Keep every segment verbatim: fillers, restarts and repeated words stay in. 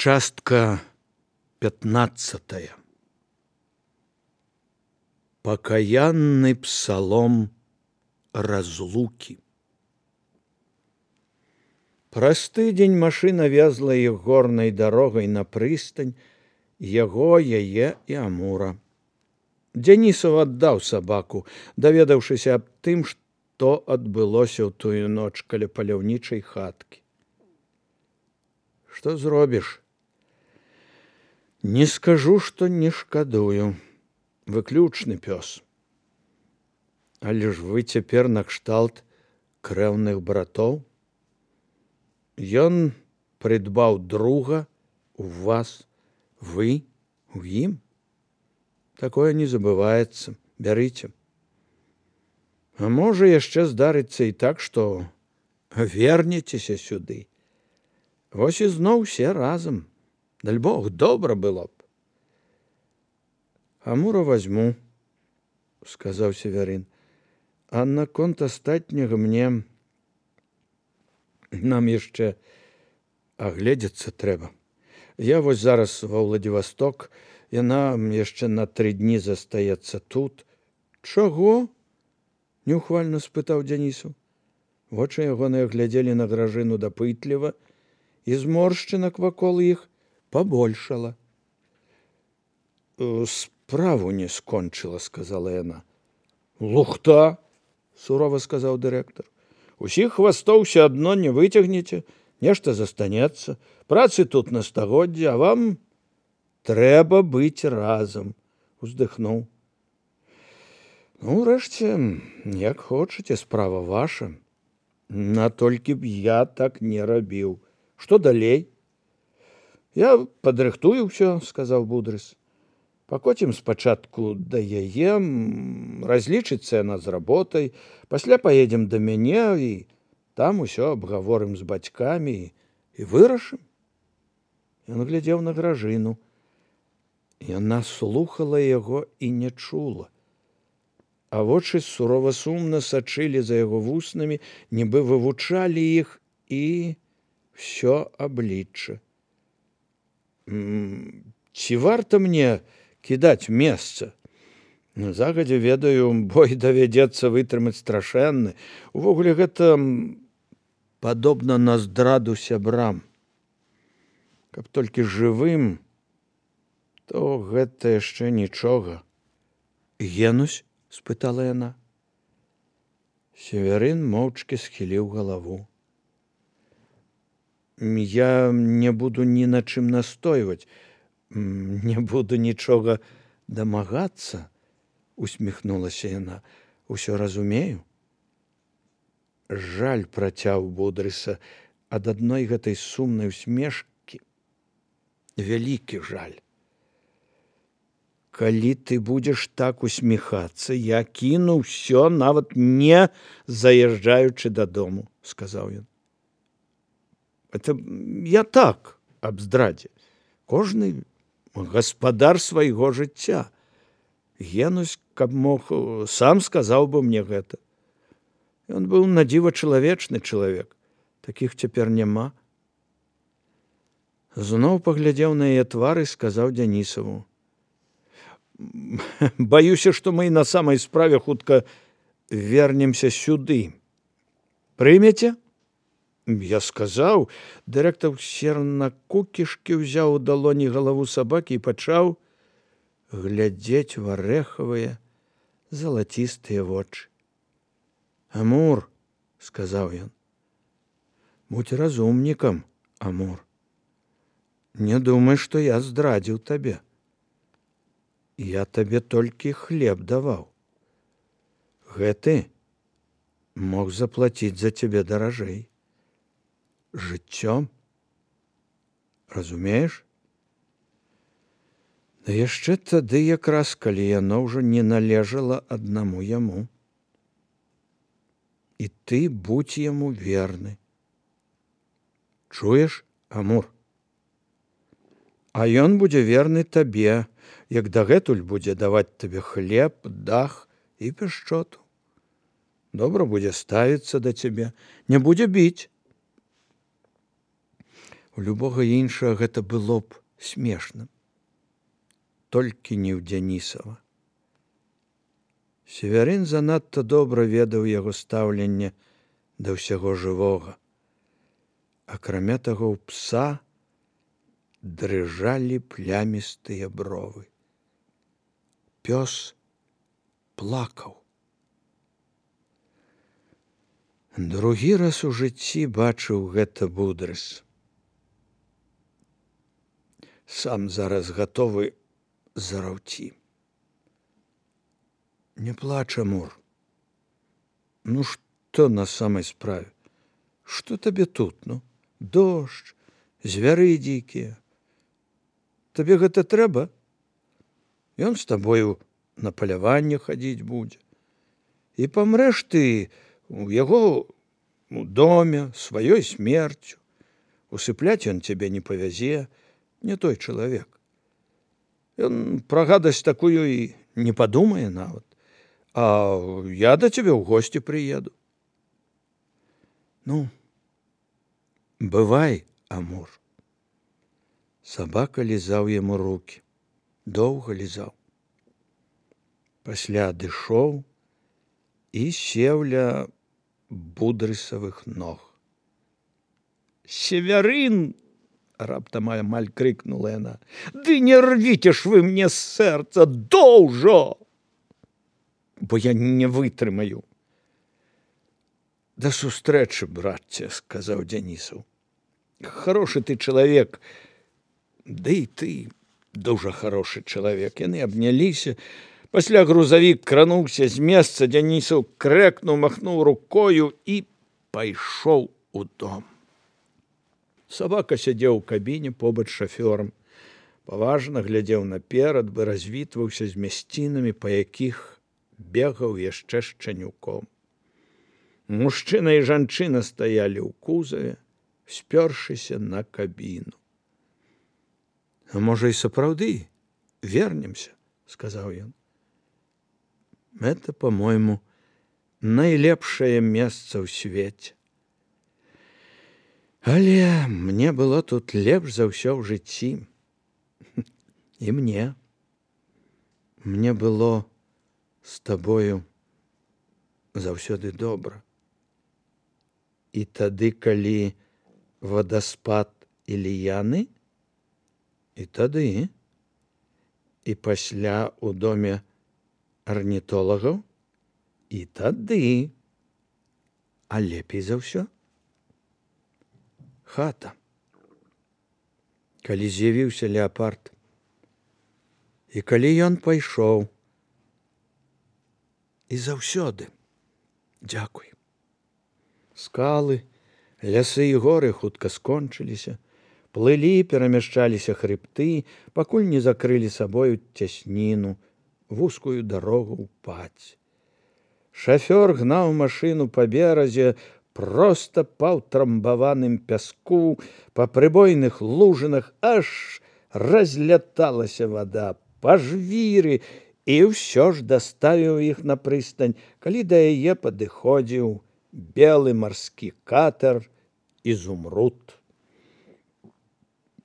Частка пятнадцатая. Покаянный псалом разлуки. Праз тыдзень машына везла іх горнай дарогай на прыстань, яго, яе і Амура. Дзянісаў аддаў сабаку, даведаўшыся аб тым, што адбылося ў тую ноч каля паляўнічай хаткі. Што зробіш? Не скажу, што не шкадую. Выключны пёс. Але ж вы цяпер накшталт крэўных братоў. Ён прыдбаў друга у вас, вы у ім. Такое не забываецца. Бярыце. А можа яшчэ здарыцца і так, што вернецеся сюды. Вось і зноў усе разам. Даль Бог, добра было б. Амура возьму, сказаў Северын. А наконт астатняга мне нам яшчэ агледзецца трэба. Я вось зараз ва Владивосток, яна яшчэ на тры дні застаецца тут. Чаго? Неухвальна спытаў Дзянісаў. Вочы ягоныя глядзелі на Гражыну дапытліва, і зморшчынак вакол іх пабольшала. Справу не скончыла, сказала яна. Лухта, сурова сказаў дырэктар. Усіх хвастоў ўсё адно не выцягнеце, нешта застанецца. Працы тут на стагоддзе, а вам трэба быць разам, уздыхнуў. Ну, урэшце, як хочаце, справа ваша. Натолькі б я так не рабіў. Што далей? Я падрыхтую ўсё, сказаў Будрыс. Пакоцім спачатку да яе, разлічыцца яна з работай, пасля паедзем да мяне і там усё абгаворым з бацькамі і вырашым. Ён глядзеў на Гражыну. Яна слухала яго і не чула. А вочы сурова сумна сачылі за яго вуснамі, нібы вывучалі іх і всё аблічча. Ці варта мне кідаць месца? Загадзя ведаю, бой давядзецца вытрымаць страшэнны. Увогуле гэта падобна на здраду сябрам. Каб толькі жывым, то гэта яшчэ нічога. Генусь? Спытала яна. Северын моўчкі схіліў галаву. Я не буду ні на чым настойваць, не буду нічога дамагацца, усміхнулася яна. Усё разумею. Жаль працяў Будрыса ад адной гэтай сумнай усмешкі. Вялікі жаль. Калі ты будзеш так усміхацца, я кіну ўсё, нават не заязджаючы дадому, сказаў ён. Это я так, аб здрадзе. Кожны гаспадар свайго жыцця. Генусь, каб мог, сам сказаў бы мне гэта. Ён быў надзіва чалавечны чалавек. Такіх цяпер няма. Зноў паглядзеў на яе твар і сказаў Дзянісаву. Баюся, што мы на самай справе хутка вернемся сюды. Прымеце? Я сказаў. Дырэктар сер на кукішкі, ўзяў у далоні галаву сабакі і пачаў глядзець в арэхавыя залацістыя вочы. Амур, сказаў ён, будь разумнікам, Амур. Не думай, што я здрадзіў табе. Я табе толькі хлеб даваў. Гэты мог заплаціць за цябе даражэй. Жыццём. Разумееш? Да яшчэ тады якраз, калі яно ўжо не належала аднаму яму. І ты будзь яму верны. Чуеш, Амур? А ён будзе верны табе, як дагэтуль будзе даваць табе хлеб, дах і пяшчоту. Добра будзе ставіцца да цябе, не будзе біць. У любога іншага гэта было б смешным. Толькі не ў Дзянісава. Севярын занадта добра ведаў яго стаўленне да ўсяго жывога. Акрамя таго, ў пса дрыжалі плямістыя бровы. Пёс плакаў. Другі раз у жыцці бачыў гэта Будрыс. Сам зараз гатовы зараўці. Не плач, Амур. Ну што на самай справе? Што табе тут, ну? Дождж, звяры дзікія. Табе гэта трэба? Ён з табою на паляванне хадзіць будзе. І памрэш ты у яго у доме сваёй смерцю. Усыпляць ён цябе не павязе, не той чалавек. Ён пра гадасць такую і не падумае нават. А я да цябе ў госці прыеду. Ну, бывай, Амур. Сабака лізаў яму рукі. Доўга лізаў. Пасля адышоў і сеў ля Будрысавых ног. Севярын! Раптам амаль крыкнула яна. Ды не рвіце ж вы мне з сэрца, доўжо! Бо я не вытрымаю. Да сустрэчы, братце, сказаў Дзянісаў. Хорошы ты чалавек, ды і ты дужа хорошы чалавек. Яны абняліся. Пасля грузавік крануўся з месца, Дзянісаў крэкнуў, махнуў рукою і пайшоў у дом. Сабака сядзеў у кабіне побач з шафёрам. Паважна глядзеў наперад, бы развітваўся з мясцінамі, па якіх бегаў яшчэ шчанюком. Мужчына і жанчына стаялі ў кузаве, спёршыся на кабіну. А можа, і сапраўды вернемся, сказаў ён. Это, по-мойму, найлепшае месца ў свеце. Але мне было тут лепш за ўсё ў жыцці. І мне. Мне было з табою заўсёды добра. І тады, калі вадаспад Іліяны, і тады, і пасля ў доме арнітолагаў, і тады, а лепей за ўсё хата. Калі з'явіўся леапард, і калі ён пайшоў, і заўсёды дзякуй. Скалы, лясы і горы хутка скончыліся, плылі, перамяшчаліся хрыбты, пакуль не закрылі сабою цясніну, вузкую дарогу ў паць. Шафёр гнаў машыну па беразе, проста па ўтрамбаваным пяску, па прыбойных лужынах, аж разляталася вада, па жвіры, і ўсё ж даставіў іх на прыстань, калі да яе падыходзіў белы марскі катер «Изумруд».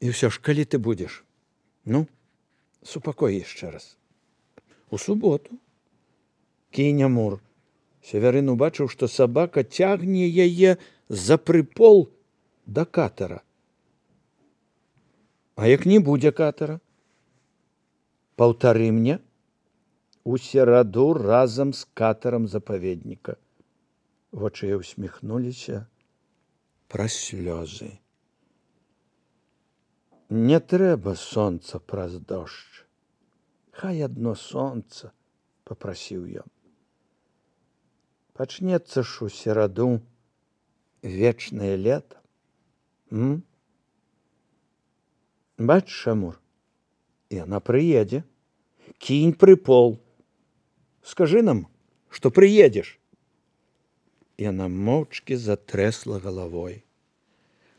І ўсё ж, калі ты будзеш? Ну, супакой яшчэ раз. У суботу. Кінь, Амур. Севярын убачыў, што сабака цягне яе за прыпол да катера. А як не будзе катера? Паўтары мне. У сераду разам з катарам запаведніка. Вочы усміхнуліся праз слёзы. Не трэба сонца праз дождж. Хай адно сонца, папрасіў ён. Пачнецца ж у сераду вечнае лета. М? Бачыш, Амур, яна прыедзе. Кінь прыпол. Скажы нам, што прыедзеш. Яна моўчкі затрэсла галавой.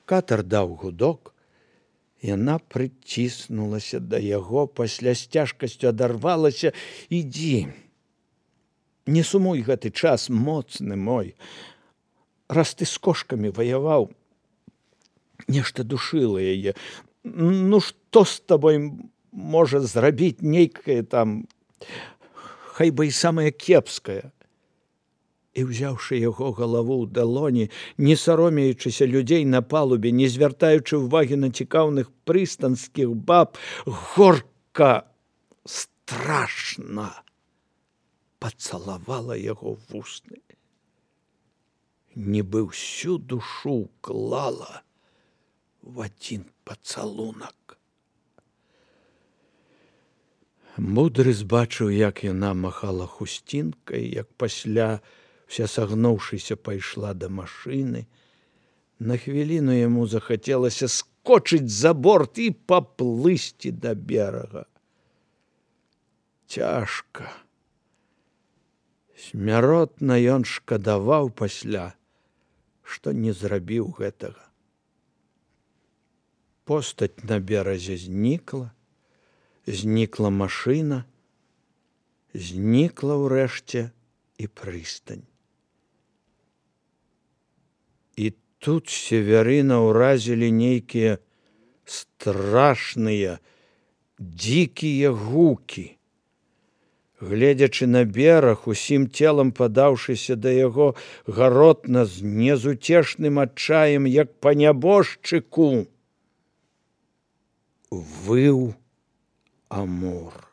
Катар даў гудок. Яна прыціснулася да яго, пасля з цяжкасцю адарвалася. Ідзі. Не сумуй гэты час, моцны мой. Раз ты з кошкамі ваяваў, Нешта душыла яе. Ну што з табой можа зрабіць нейкае там, хай бы і самае кепскае. І, ўзяўшы яго галаву ў далоні, не саромеючыся людзей на палубе, не звяртаючы ўвагі на цікаўных прыстанскіх баб, горка, страшна пацалавала яго вусны. Нібы ўсю душу клала в адзін пацалунак. Мудры збачыў, як яна махала хусцінкай, як пасля, вся сагнуўшыся, пайшла да машыны. На хвіліну яму захацелася скочыць за борт і паплысці да берага. Цяжка. Смяротна ён шкадаваў пасля, што не зрабіў гэтага. Постаць на беразе знікла, знікла машына, знікла ўрэшце і прыстань. І тут Севярына ўразілі нейкія страшныя, дзікія гукі. Гледзячы на бераг, усім целам падаўшыся да яго, гаротна з незуцешным адчаем, як па нябожчыку, выў Амур.